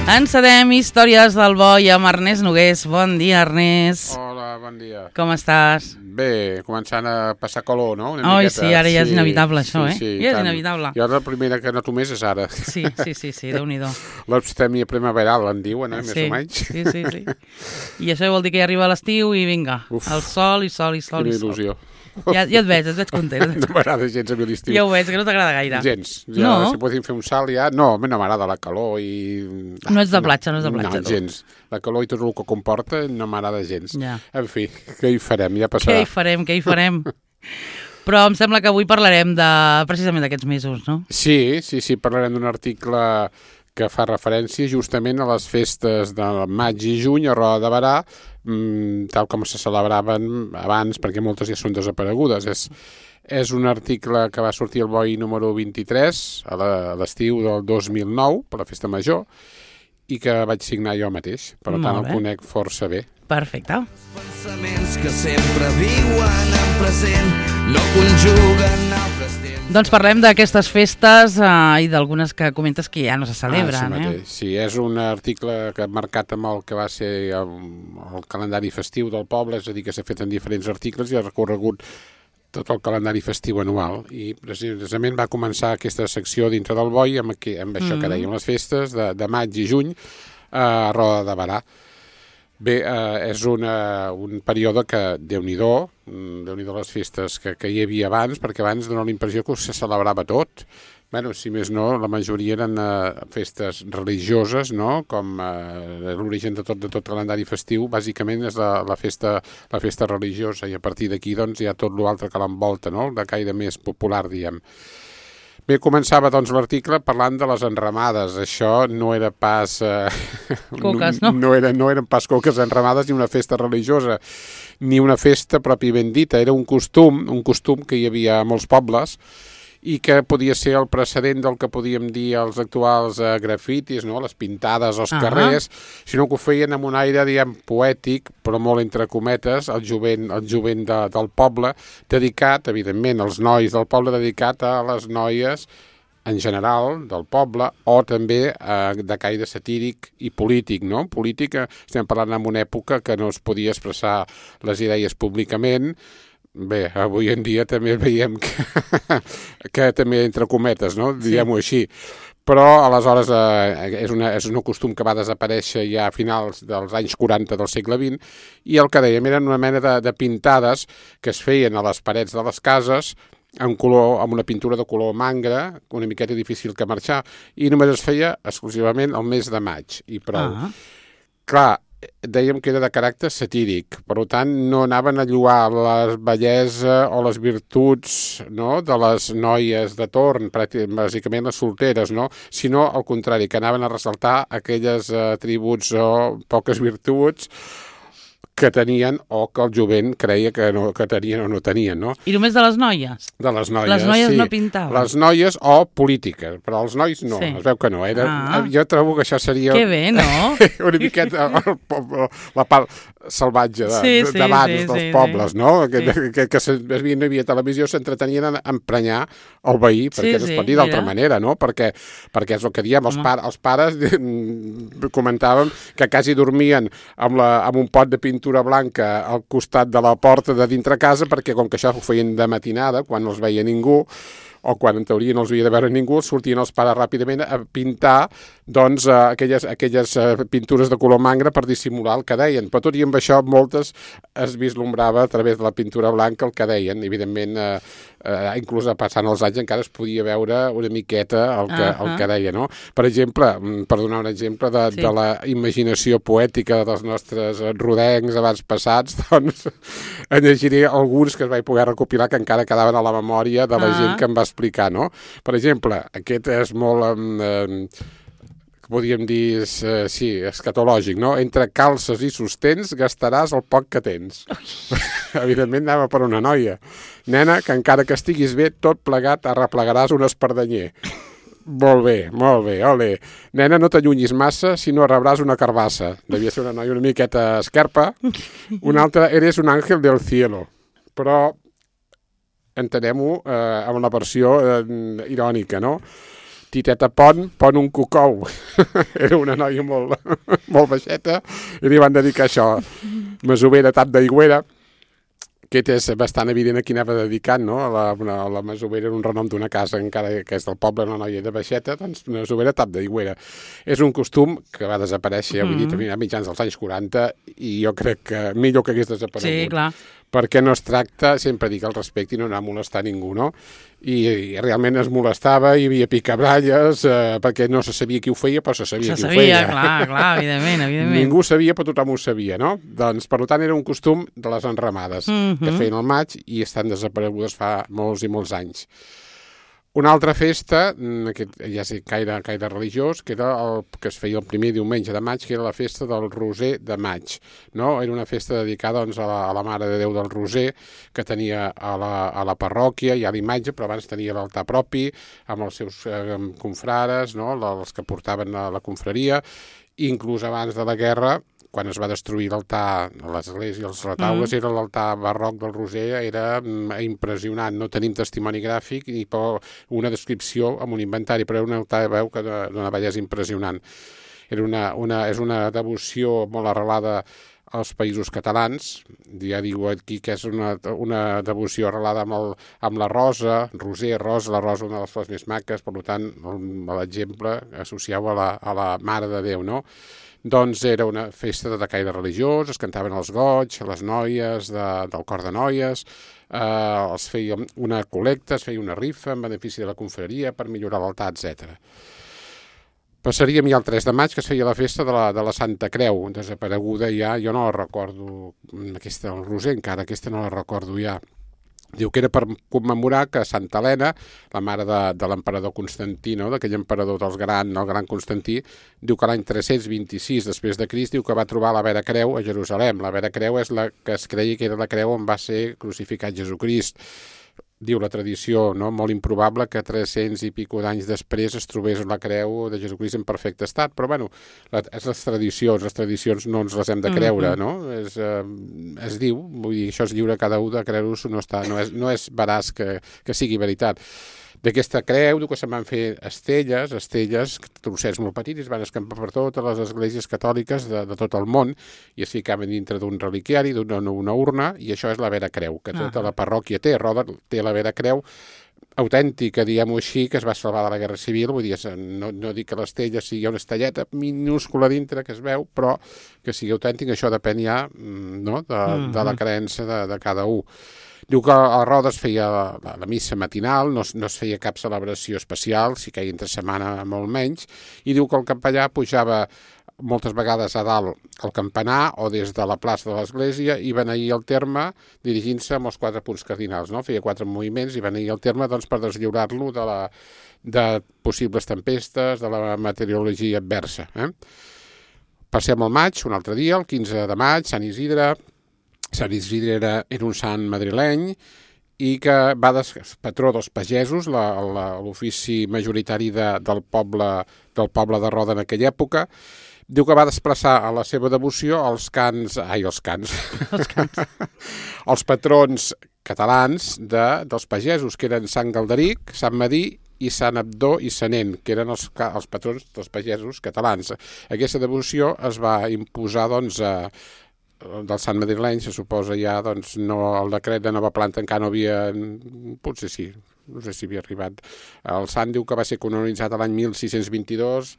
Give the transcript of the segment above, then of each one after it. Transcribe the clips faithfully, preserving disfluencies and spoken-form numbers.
Encedem històries del bo i amb Ernest Nogués. Bon dia, Ernest. Hola, bon dia. Com estàs? Bé, començant a passar calor, no? Una Oi, miqueta. sí, ara ja és Sí, inevitable això, sí, eh? sí, ja és tant. inevitable. Jo la primera que noto més és ara. Sí, sí, sí, sí, Déu-n'hi-do. L'abstèmia primaveral, en diuen, eh? Més Sí, o menys. sí, sí, sí. I això vol dir que ja arriba l'estiu i vinga, Uf. el sol i sol i sol Quina i sol. il·lusió. Ja, ja et veig, et veig content. No m'agrada gens a mi l'estiu. Ja ho veig, que no t'agrada gaire. Gens. Ja, No? Si podíem fer un salt ja... No, a mi no m'agrada la calor i... No ets de platja, no ets de platja, No, tu. gens. La calor i tot el que comporta no m'agrada gens. Ja. En fi, què hi farem? Ja Què passarà. hi farem, què hi farem? Però em sembla que avui parlarem de precisament d'aquests mesos, no? Sí, sí, sí, parlarem d'un article que fa referència justament a les festes de maig i juny a Roda de Berà, mmm, tal com se celebraven abans, perquè moltes ja són desaparegudes. És, és un article que va sortir al B O I número vint-i-tres a la- a l'estiu del dos mil nou, per la festa major, i que vaig signar jo mateix. Per Molt tant, bé. el conec força bé. Perfecte. Pensaments que sempre viuen en present, no conjuguen altres temps. Doncs parlem d'aquestes festes eh, i d'algunes que comentes que ja no se celebren, ah, sí, eh? mateix. Sí, és un article que ha marcat amb el que va ser el, el calendari festiu del poble, és a dir, que s'ha fet en diferents articles i ha recorregut tot el calendari festiu anual. I precisament va començar aquesta secció dintre del B O I amb, aquí, amb això Mm. que dèiem, les festes de, de maig i juny a Roda de Berà. Bé, eh, és una, un període que, Déu-n'hi-do, mm, Déu-n'hi-do les festes que, que hi havia abans, perquè abans dona la impressió que se celebrava tot. Bueno, si més no, la majoria eren eh, festes religioses, no? Com eh, l'origen de tot, de tot calendari festiu, bàsicament és la, la, festa, la festa religiosa, i a partir d'aquí doncs, hi ha tot l'altre que l'envolta, no? De caire més popular, diem. Bé, començava doncs l'article parlant de les enramades. Això no era pas... Eh, Coques, no? No, era, no eren pas coques enramades ni una festa religiosa, ni una festa pròpiament dita. Era un costum, un costum que hi havia a molts pobles i que podia ser el precedent del que podíem dir els actuals eh, grafitis, no? Les pintades als Ah. carrers, sinó que ho feien amb un aire, diguem, poètic, però molt entre cometes, el jovent, el jovent de, del poble, dedicat, evidentment, als nois del poble, dedicat a les noies en general del poble, o també eh, de caire satíric i polític, no? Polític, eh, estem parlant en una època que no es podia expressar les idees públicament. Bé, avui en dia també veiem que, que també entre cometes, no? Diguem-ho així. Però aleshores eh, és, una, és un costum que va desaparèixer ja a finals dels anys quaranta del segle vint, i el que dèiem eren una mena de, de pintades que es feien a les parets de les cases amb, color, amb una pintura de color mangra, una miqueta difícil que marxar, i només es feia exclusivament el mes de maig, i prou. Ah. Clar, dèiem que era de caràcter satíric, per tant no anaven a lloar la bellesa o les virtuts, no?, de les noies de torn, bàsicament les solteres, no?, sinó al contrari, que anaven a ressaltar aquelles atributs o poques virtuts que tenien o que el jovent creia que, no, que tenien o no tenien, no? I només de les noies? De les noies, Les noies sí. no pintaven? Les noies o polítiques, però els nois no, Sí. es veu que no. Era, Ah. Jo trobo que això seria... Que bé, no? una miqueta el, el, la part salvatge de, Sí, de, sí, d'abans sí, dels sí, pobles, sí. no? Que, Sí. que, que, que se, es havia, no hi havia televisió, s'entretenien en emprenyar el veí, perquè Sí, no es sí, pot dir d'altra mira. manera, no? Perquè, perquè és el que diem, els, Home. par, els pares mm, comentàvem que quasi dormien amb, la, amb un pot de pintura blanca al costat de la porta de dintre casa, perquè com que això ho feien de matinada, quan no els veia ningú, o quan en teoria no els havia de veure ningú, sortien els pares ràpidament a pintar doncs, eh, aquelles, aquelles eh, pintures de color mangra per dissimular el que deien. Però tot i amb això, moltes es vislumbrava a través de la pintura blanca el que deien. Evidentment, eh, eh, inclús passant els anys encara es podia veure una miqueta el que, Uh-huh. el que deia, no? Per exemple, mm, per donar un exemple de, Sí. de la imaginació poètica dels nostres rodencs abans passats, doncs en llegiré alguns que es vaig poder recopilar que encara quedaven a la memòria de la Ah. gent que em va explicar, no? Per exemple, aquest és molt... Eh, podríem dir, eh, sí, escatològic, no? Entre calces i sostens gastaràs el poc que tens. Evidentment anava per una noia. Nena, que encara que estiguis bé, tot plegat arreplegaràs un espardenyer. Molt bé, molt bé, ole. Nena, no t'allunyis massa, si no rebràs una carbassa. Devia ser una noia una miqueta esquerpa. Una altra, eres un àngel del cielo. Però entenem-ho eh, amb la versió eh, irònica, no? Titeta Pont, pon un cocou. Era una noia molt, molt baixeta i li van dedicar això. Masovera, tap d'aigüera. Aquest és bastant evident a qui anava dedicat, no? A la, una, a la masovera era un renom d'una casa, encara que és del poble, una noia de baixeta, doncs masovera, tap d'aigüera. És un costum que va desaparèixer, ja ho he dit, a mitjans dels anys quaranta, i jo crec que millor que hagués desaparegut. Sí, clar. Perquè no es tracta, sempre dic al respecte, i no anar a molestar ningú, no? I, i realment es molestava, hi havia picabralles, eh, perquè no se sabia qui ho feia, però se sabia se qui sabia, ho feia. clar, clar, evidentment, evidentment. Ningú sabia, però tothom ho sabia, no? Doncs, per tant, era un costum de les enramades, mm -hmm. que feien al maig i estan desaparegudes fa molts i molts anys. Una altra festa, aquest ja és gaire, gaire religiós, que era el que es feia el primer diumenge de maig, que era la festa del Roser de maig. No? Era una festa dedicada doncs, a, la, a la Mare de Déu del Roser, que tenia a la, a la parròquia, hi ha l'imatge, però abans tenia l'altar propi, amb els seus eh, confrares, no? els que portaven a la confraria, inclús abans de la guerra, quan es va destruir l'altar, l'església, els retaules, mm. era l'altar barroc del Roser, era impressionant. No tenim testimoni gràfic ni una descripció amb un inventari, però era un altar, veu, que d'una bellesa impressionant. Era una, una, és una devoció molt arrelada als països catalans, ja diu aquí que és una, una devoció arrelada amb, el, amb la rosa, Roser, rosa, la rosa una de les flors més maques, per tant, l'exemple associau a la, a la Mare de Déu, no? Doncs era una festa de caire religiós, es cantaven els goig, les noies de, del cor de noies, eh, es feia una col·lecta, es feia una rifa en benefici de la confraria per millorar l'altar, etcètera. Passaríem ja el tres de maig, que es feia la festa de la, de la Santa Creu, desapareguda ja, jo no la recordo, aquesta, el Roser encara, aquesta no la recordo ja. Diu que era per commemorar que Santa Helena, la mare de, de l'emperador Constantí, no? D'aquell emperador dels gran, el gran Constantí, diu que l'any tres-cents vint-i-sis després de Crist diu que va trobar la Vera Creu a Jerusalem. La Vera Creu és la que es creia que era la creu on va ser crucificat Jesucrist. Diu la tradició, no? Molt improbable que tres-cents i pico d'anys després es trobés la creu de Jesucrist en perfecte estat, però bueno, la, és les tradicions, les tradicions no ens les hem de creure, no? És, eh, es diu, vull dir, això és lliure cada un de creure-s'ho, no, està, no, és, no és veraç que, que sigui veritat. D'aquesta creu, diu que se'n van fer estelles, estelles, trossets molt petits, es van escampar per totes les esglésies catòliques de, de tot el món i es ficaven dintre d'un reliquiari, d'una una urna, i això és la Vera Creu, que tota la parròquia té. Roda té la Vera Creu autèntica, diguem-ho així, que es va salvar de la Guerra Civil, vull dir, no, no dic que l'estella sigui una estelleta minúscula dintre que es veu, però que sigui autèntic, això depèn ja, no?, de, mm-hmm. de la creença de, de cada un. Diu que a Roda es feia la, la missa matinal, no, no es feia cap celebració especial, si que entre setmana molt menys, i diu que el capellà pujava moltes vegades a dalt al campanar o des de la plaça de l'església i beneïa el terme dirigint-se amb els quatre punts cardinals, no? Feia quatre moviments i beneïa el terme doncs, per deslliurar-lo de, la, de possibles tempestes, de la meteorologia adversa. Eh? Passem al maig, un altre dia, el quinze de maig, Sant Isidre. Sant Isidre era, era un sant madrileny i que va des, patró dels pagesos, l'ofici majoritari de, del, poble, del poble de Roda en aquella època. Diu que va desplaçar a la seva devoció els cants, ai, els cants, els, cants. els patrons catalans de, dels pagesos, que eren Sant Galderic, Sant Madí i Sant Abdó i Sanent, que eren els, els patrons dels pagesos catalans. Aquesta devoció es va imposar, doncs, a del Sant madrileny, se suposa ja, doncs, no, el decret de nova planta encara no havia, potser sí, no sé si havia arribat. El sant diu que va ser canonitzat l'any mil sis-cents vint-i-dos,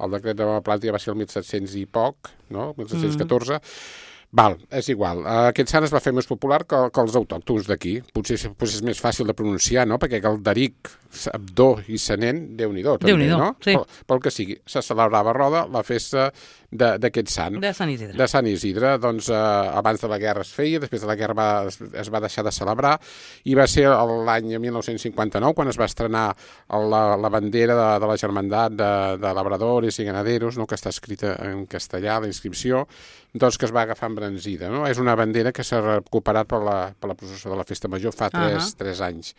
el decret de nova planta ja va ser el mil set-cents i poc, no?, mil set-cents catorze. Mm. Val, és igual. Aquest sant es va fer més popular que, que els autòctons d'aquí. Potser, potser és més fàcil de pronunciar, no?, perquè Galderic, Abdó i Sanent, Déu-n'hi-do, també, Déu-n'hi-do, no? Sí. Pel, pel que sigui, se celebrava a Roda la festa d'aquest sant. De Sant Isidre. De Sant Isidre. Doncs eh, abans de la guerra es feia, després de la guerra va, es, es va deixar de celebrar, i va ser l'any mil nou-cents cinquanta-nou quan es va estrenar la, la bandera de, de la Germandat de, de Labradores i Ganaderos, no?, que està escrita en castellà, la inscripció, doncs que es va agafar embranzida, no? És una bandera que s'ha recuperat per la, per la processó de la Festa Major fa tres, uh-huh. tres anys.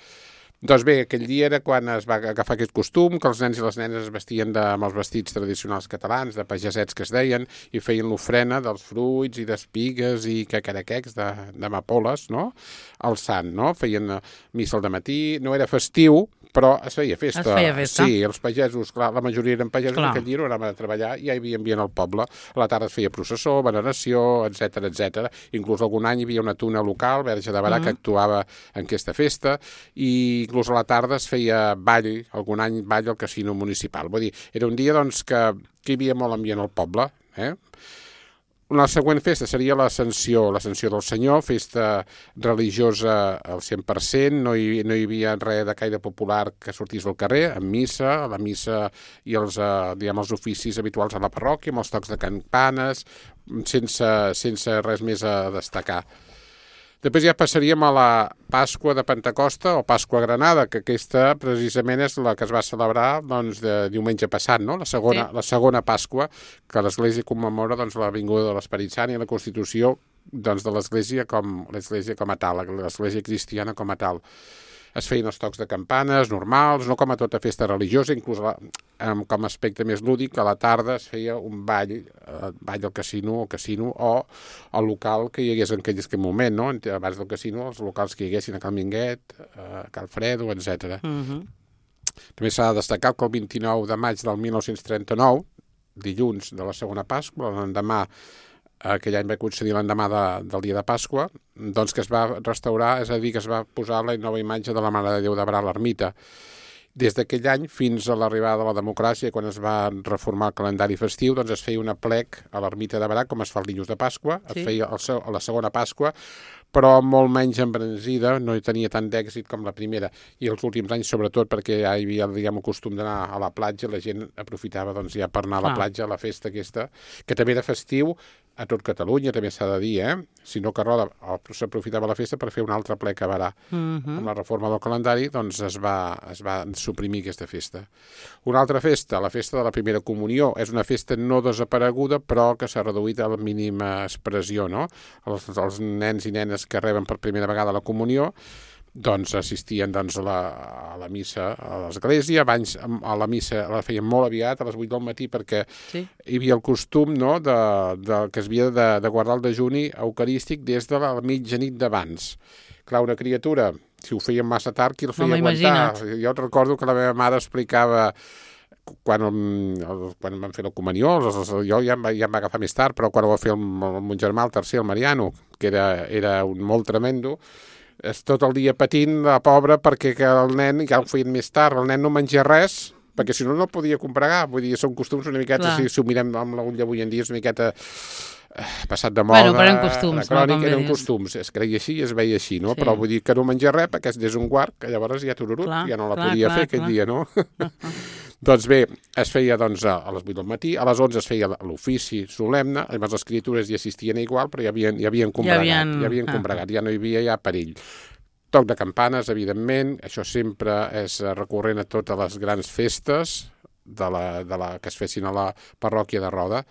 Doncs bé, aquell dia era quan es va agafar aquest costum, que els nens i les nenes es vestien de, amb els vestits tradicionals catalans, de pagesets que es deien, i feien l'ofrena dels fruits i d'espigues i cacaraquecs d'amapoles, no?, al sant, no? Feien missa al dematí, no era festiu, però es feia festa. Es feia festa. Sí, els pagesos, clar, la majoria eren pagesos, Clar. aquell dia no anaven a treballar i ja hi havia ambient al poble. A la tarda es feia processó, veneració, etcètera, etcètera. Inclús algun any hi havia una tuna local, Verge de Barà, mm. que actuava en aquesta festa, i inclús a la tarda es feia ball, algun any ball al casino municipal. Vull dir, era un dia doncs, que, que hi havia molt ambient al poble, eh? La següent festa seria l'Ascensió, l'Ascensió del Senyor, festa religiosa al cent per cent, no hi, no hi havia res de caire popular que sortís del carrer, amb missa, la missa i els, eh, diguem, els oficis habituals a la parròquia, amb els tocs de campanes, sense, sense res més a destacar. Després ja passaríem a la Pasqua de Pentecosta o Pasqua Granada, que aquesta precisament és la que es va celebrar doncs, de diumenge passat, no? la, segona, sí. la segona Pasqua, que l'Església commemora doncs, la vinguda de l'Esperit Sant i la constitució doncs, de l'Església com l'Església com a tal, l'Església cristiana com a tal. Es feien els tocs de campanes normals, no com a tota festa religiosa, inclús la, com a aspecte més lúdic, a la tarda es feia un ball, eh, ball al casino, al casino o al local que hi hagués en aquell moment, no? Abans del casino, els locals que hi haguessin a Cal Minguet, a Cal Fredo, etcètera. Uh-huh. També s'ha de destacar que el vint-i-nou de maig del mil nou-cents trenta-nou, dilluns de la segona Pasqua, l'endemà, aquell any va concedir l'endemà de, del dia de Pasqua, doncs que es va restaurar, és a dir, que es va posar la nova imatge de la Mare de Déu de Barà a l'ermita. Des d'aquell any fins a l'arribada de la democràcia, quan es va reformar el calendari festiu, doncs es feia una plec a l'ermita de Barà, com es fa el dilluns de Pasqua, sí. Es feia el, a la segona Pasqua, però molt menys embranzida, no tenia tant d'èxit com la primera. I els últims anys, sobretot, perquè ja hi havia, diguem, el costum d'anar a la platja, la gent aprofitava doncs, ja per anar a la platja, a la festa aquesta, que també era festiu a tot Catalunya, també s'ha de dir, eh? Si no que roda, s'aprofitava la festa per fer un altre plec a Barà. Uh-huh. Amb la reforma del calendari, doncs es va, es va suprimir aquesta festa. Una altra festa, la festa de la primera comunió, és una festa no desapareguda, però que s'ha reduït a la mínima expressió, no? Els, els nens i nenes que reben per primera vegada la comunió, doncs assistien doncs, a, la, a la missa a l'església. Abans a la missa la feien molt aviat, a les vuit del matí, perquè sí. Hi havia el costum, no?, de, de, que es havia de, de guardar el dejuni eucarístic des de la mitjanit d'abans. Clar, una criatura, si ho feien massa tard, qui el feia no aguantar? Jo recordo que la meva mare explicava quan, quan van fer la comunió, jo ja em, ja em va agafar més tard, però quan ho va fer el, el mon germà, el tercer, el Mariano, que era, era un molt tremendo, és tot el dia patint, la pobra, perquè que el nen, ja ho feien més tard, el nen no menja res, perquè si no, no podia comprar. Vull dir, són costums una miqueta, si, si ho mirem amb l'ull d'avui en dia, és una miqueta eh, passat de moda, bueno, però eren costums, crònic, no, eren costums, es creia així i es veia així, no? Sí. Però vull dir que no menja res, perquè és un guard, que llavors ja tururut, clar, ja no la clar, podia clar, fer clar. Aquell dia, no? Doncs bé, es feia doncs, a les vuit del matí, a les onze es feia l'ofici solemne, llavors les criatures hi assistien igual, però ja havien, ja havien combregat, ja havien, ja havien combregat, ja no hi havia ja perill. Toc de campanes, evidentment, això sempre és recurrent a totes les grans festes de la, de la, que es fessin a la parròquia de Roda.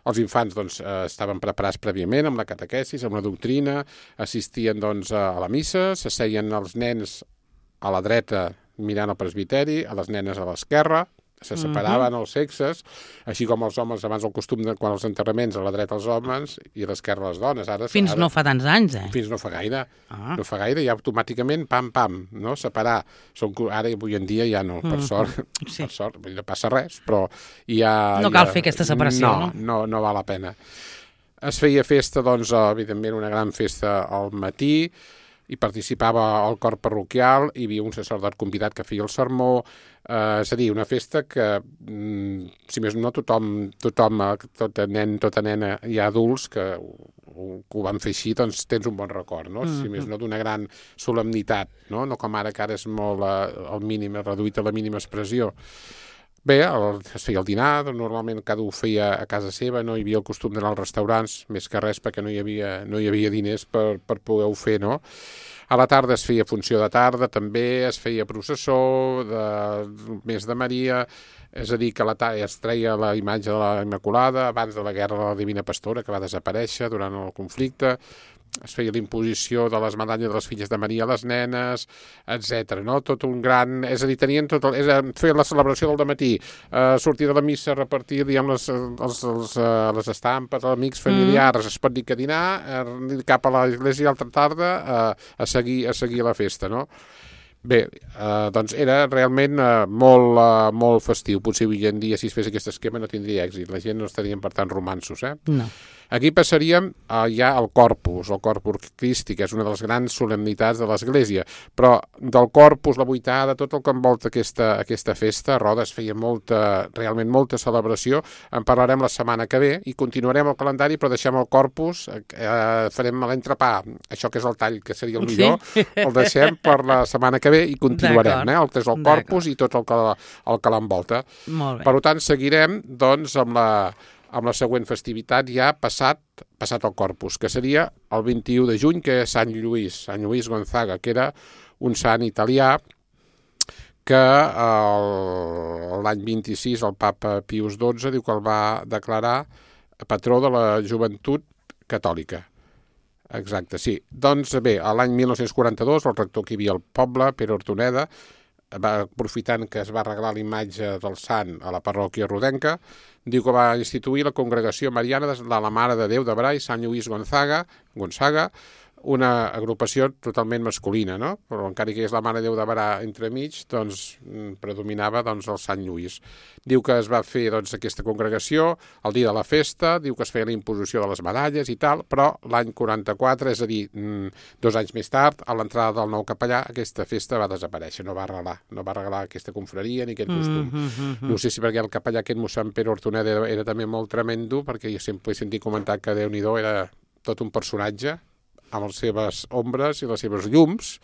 Els infants doncs, estaven preparats prèviament amb la catequesis, amb la doctrina, assistien doncs, a la missa, s'asseien els nens a la dreta mirant al presbiteri, a les nenes a l'esquerra, se separaven uh-huh. els sexes, així com els homes abans el costum de quan els enterraments a la dreta els homes i a l'esquerra les dones. Ara, fins ara, no fa tants anys, eh? Fins no fa gaire. Ah. No fa gaire, ja automàticament, pam, pam, no? Separar. Són, ara, avui en dia, ja no, per sort, uh-huh. sí. per sort, no passa res, però ja... No cal ja, fer aquesta separació, no? No, no, no val la pena. Es feia festa, doncs, evidentment, una gran festa al matí, hi participava el cor parroquial, hi havia un sacerdot convidat que feia el sermó, eh, és a dir, una festa que, mm, si més no, tothom, tothom tot nen, tota nena i adults que ho, que ho van fer així, doncs tens un bon record, no? Mm-hmm. Si més no, d'una gran solemnitat, no? No com ara, que ara és molt eh, el mínim, reduït a la mínima expressió. Bé, el, es feia el dinar, normalment cada un ho feia a casa seva, no hi havia el costum d'anar als restaurants, més que res perquè no hi havia, no hi havia diners per, per poder-ho fer, no? A la tarda es feia funció de tarda, també es feia processó, de, més de Maria, és a dir, que a la tarda es treia la imatge de la Immaculada, abans de la guerra de la Divina Pastora, que va desaparèixer durant el conflicte, es feia l'imposició de les medalles de les filles de Maria a les nenes, etcètera. No? Tot un gran... És a dir, tenien tot el... És a fer la celebració del dematí, eh, sortir de la missa, repartir, diguem, les, els, els, uh, les estampes, amics familiars, mm. es pot dir que dinar, eh, cap a l'església altra tarda, eh, a, seguir, a seguir la festa, no? Bé, eh, doncs era realment eh, molt, eh, molt festiu. Potser avui en dia, si es fes aquest esquema, no tindria èxit. La gent no estarien per tant romansos, eh? No. Aquí passaríem eh, ja al Corpus, el Corpus Christi, que és una de les grans solemnitats de l'Església. Però del Corpus, la vuitada, tot el que envolta aquesta, aquesta festa, a Rodes feia molta, realment molta celebració. En parlarem la setmana que ve i continuarem el calendari, però deixem el Corpus, eh, farem l'entrepà, això que és el tall, que seria el millor, sí? El deixem per la setmana que ve i continuarem, eh? El que és el Corpus i tot el que, el que l'envolta. Molt bé. Per tant, seguirem doncs amb la amb la següent festivitat ja passat, passat el Corpus, que seria el vint-i-u de juny, que és Sant Lluís, Sant Lluís Gonzaga, que era un sant italià que l'any vint-i-sis el papa Pius dotze diu que el va declarar patró de la joventut catòlica. Exacte, sí. Doncs bé, l'any mil nou-cents quaranta-dos el rector que hi havia al poble, Pere Hortoneda, va, aprofitant que es va arreglar la imatge del sant a la parròquia rodenca, diu que va instituir la congregació mariana de la Mare de Déu de Brai, Sant Lluís Gonzaga, Gonzaga, una agrupació totalment masculina, no? Però encara que és la Mare de Déu de Brai entremig, doncs predominava doncs, el Sant Lluís. Diu que es va fer doncs, aquesta congregació el dia de la festa, diu que es feia la imposició de les medalles i tal, però l'any quaranta-quatre, és a dir, dos anys més tard, a l'entrada del nou capellà, aquesta festa va desaparèixer, no va arreglar, no va arreglar aquesta confraria ni aquest costum. Mm -hmm. No sé si perquè el capellà aquest mossèn Pere Hortoneda era, era també molt tremendo, perquè jo sempre he sentit comentar que Déu-n'hi-do era tot un personatge, amb les seves ombres i les seves llums,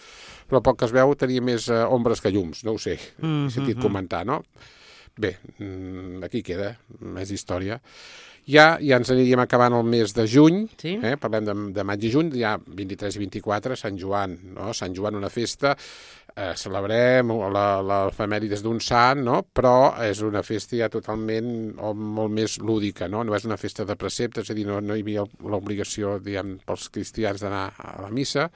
però pel que es veu tenia més eh, ombres que llums, no ho sé, he sentit comentar, no? Bé, aquí queda, més història. Ja, ja ens aniríem acabant el mes de juny, sí? eh? Parlem de, de maig i juny, ja vint-i-tres i vint-i-quatre, Sant Joan, no? Sant Joan, una festa, eh, celebrem l'efemèrides d'un sant, no? Però és una festa ja totalment o molt més lúdica, no? No és una festa de precepte, és a dir, no, no hi havia l'obligació, diguem, pels cristians d'anar a la missa.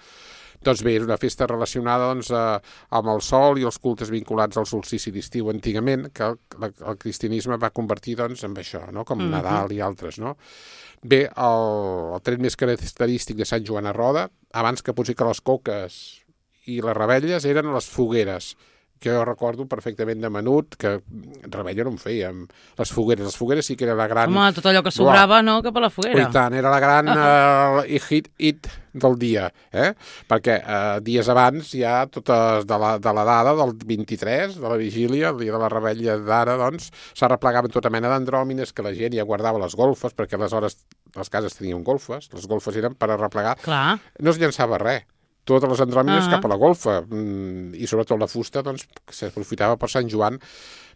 Doncs bé, és una festa relacionada doncs, eh, amb el sol i els cultes vinculats al solstici d'estiu antigament, que el, el cristianisme va convertir doncs, en això, no? Com mm-hmm. Nadal i altres. No? Bé, el, el tret més característic de Sant Joan a Roda, abans que potser que les coques i les rebelles, eren les fogueres, que jo recordo perfectament de menut, que rebella no en fèiem. Les fogueres, les fogueres sí que era la gran... Home, tot allò que sobrava, no?, cap a la foguera. I tant, era la gran uh, hit, hit del dia, eh? Perquè eh, dies abans ja totes de la, de la dada del vint-i-tres, de la vigília, el dia de la rebella d'ara, doncs, s'arreplegaven tota mena d'andròmines, que la gent ja guardava les golfes, perquè aleshores les cases tenien golfes, les golfes eren per arreplegar. Clar. No es llançava res. Totes les andròmines uh -huh. cap a la golfa, i sobretot la fusta, doncs, s'aprofitava per Sant Joan.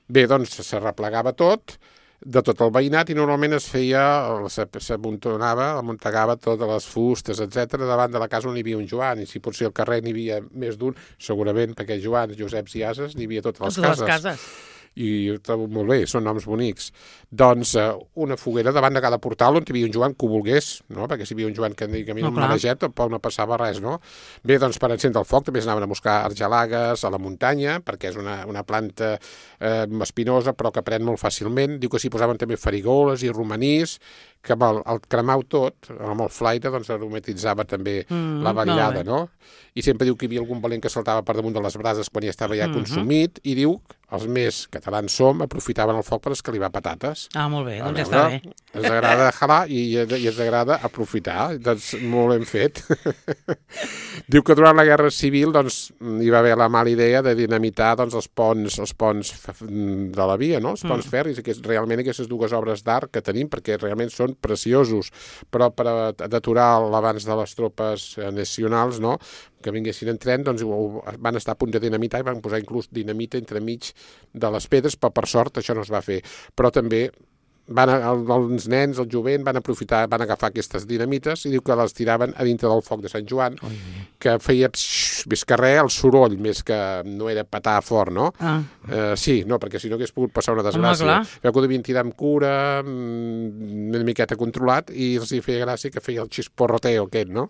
Bé, doncs, s'arreplegava tot, de tot el veïnat, i normalment es feia, s'amuntonava, amuntegava totes les fustes, etcètera, davant de la casa on hi havia un Joan, i si potser al carrer n'hi havia més d'un, segurament, perquè Joans, Joseps i Ases, n'hi havia totes les totes cases. Les cases. I ho trobo molt bé, són noms bonics. Doncs eh, una foguera davant de cada portal on hi havia un Joan que ho volgués, no? Perquè si hi havia un Joan que a mi no, no maneget, tampoc no passava res, no? Bé, doncs per encendre el foc també s'anaven a buscar argelagues a la muntanya, perquè és una, una planta eh, espinosa però que pren molt fàcilment. Diu que s'hi posaven també farigoles i romanís, que amb el, el cremau tot, amb el flaire, doncs aromatitzava també mm, la vetllada, no? I sempre diu que hi havia algun valent que saltava per damunt de les brases quan ja estava ja mm -hmm. consumit, i diu els més catalans som, aprofitaven el foc per escalivar patates. Ah, molt bé, doncs ja està bé. Ens agrada jalar i, i ens agrada aprofitar, doncs molt ben fet. Diu que durant la Guerra Civil doncs, hi va haver la mala idea de dinamitar doncs, els ponts els ponts de la via, no? Els ponts mm. ferris, que és realment aquestes dues obres d'art que tenim, perquè realment són preciosos, però per deturar l'avanç de les tropes nacionals, no?, que vinguessin en tren, doncs van estar a punt de dinamitar i van posar inclús dinamita entremig de les pedres, però per sort això no es va fer. Però també van, els nens, el jovent, van aprofitar, van agafar aquestes dinamites i diu que les tiraven a dintre del foc de Sant Joan, Oi. que feia psh, més que res el soroll, més que no era petar fort, no? Ah. Uh, sí, no, perquè si no hagués pogut passar una desgràcia. Veu que ho devien tirar amb cura, una miqueta controlat, i els hi feia gràcia que feia el xisporroteo aquest, no?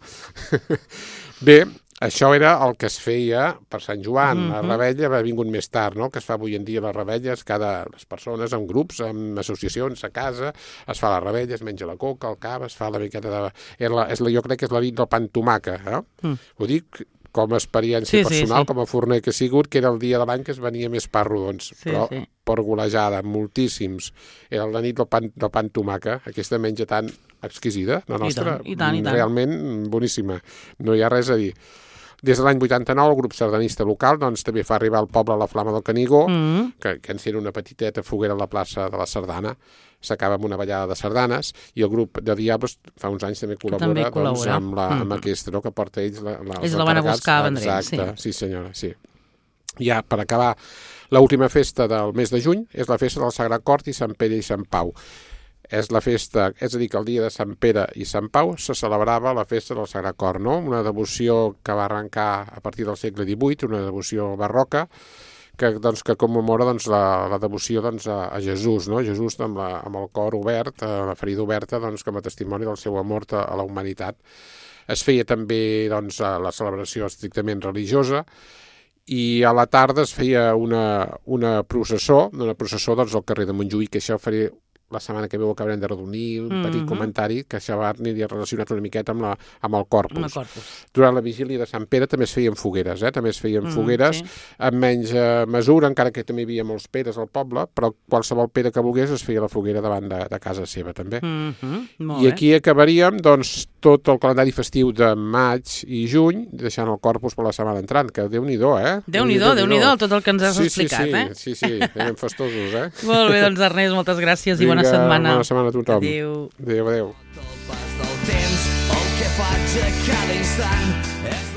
Bé, això era el que es feia per Sant Joan. Mm -hmm. La rebella va vingut més tard, no?, que es fa avui en dia les rebelles, cada les persones, en grups, en associacions, a casa, es fa la rebella, es menja la coca, el cava, es fa la miqueta de... És la, és la, jo crec que és la nit del pa amb tomàquet, eh? Mm. Ho dic com a experiència Sí, sí, personal, sí. com a forner que he sigut, que era el dia de l'any que es venia més pa rodons, Sí, però sí. per golejada, moltíssims. Era la nit del pan, del pan tomaca, aquesta menja tan exquisida, la I nostra, tant, i tant, i tant. realment boníssima, no hi ha res a dir. Des de l'any vuitanta-nou, el grup sardanista local doncs, també fa arribar al poble la Flama del Canigó, Mm. que, que encén una petiteta foguera a la plaça de la Sardana, s'acaba amb una ballada de sardanes, i el grup de Diablos fa uns anys també col·labora, també doncs, col·labora. amb, la, amb Mm. aquesta, no?, que porta ells la, la, Ells els la van a encarregats. buscar a Vendrell, Exacte, sí. sí senyora, sí. Ja, per acabar, l'última festa del mes de juny és la festa del Sagrat Cor i Sant Pere i Sant Pau. És la festa, és a dir, que el dia de Sant Pere i Sant Pau se celebrava la festa del Sagrat Cor, no? Una devoció que va arrencar a partir del segle divuit, una devoció barroca, que, doncs, que commemora doncs, la, la devoció doncs, a, a Jesús, no? Jesús amb, la, amb el cor obert, eh, la ferida oberta, doncs, com a testimoni del seu amor a, a la humanitat. Es feia també doncs, la celebració estrictament religiosa, i a la tarda es feia una, una processó, una processó doncs, al carrer de Montjuïc, que això faré la setmana que ve ho acabarem de redonir, un mm -hmm. petit comentari, que això va aniria relacionat una miqueta amb, la, amb el Corpus. Amb el Corpus. Durant la vigília de Sant Pere també es feien fogueres, eh? també es feien mm, fogueres, sí. amb menys eh, mesura, encara que també hi havia molts peres al poble, però qualsevol pere que volgués es feia la foguera davant de, de casa seva, també. Mm -hmm. Molt I bé. aquí acabaríem, doncs, tot el calendari festiu de maig i juny, deixant el Corpus per la setmana entrant, que Déu-n'hi-do, eh? Déu-n'hi-do, Déu-n'hi-do, tot el que ens has sí, explicat, sí, sí, eh? Sí, sí, anem festosos, eh? Molt bé, doncs Ernest, moltes gràcies i bona Vinga, setmana. Bona setmana a tothom. Adéu. Adéu, adéu. El pas del temps, el que faig a cada instant és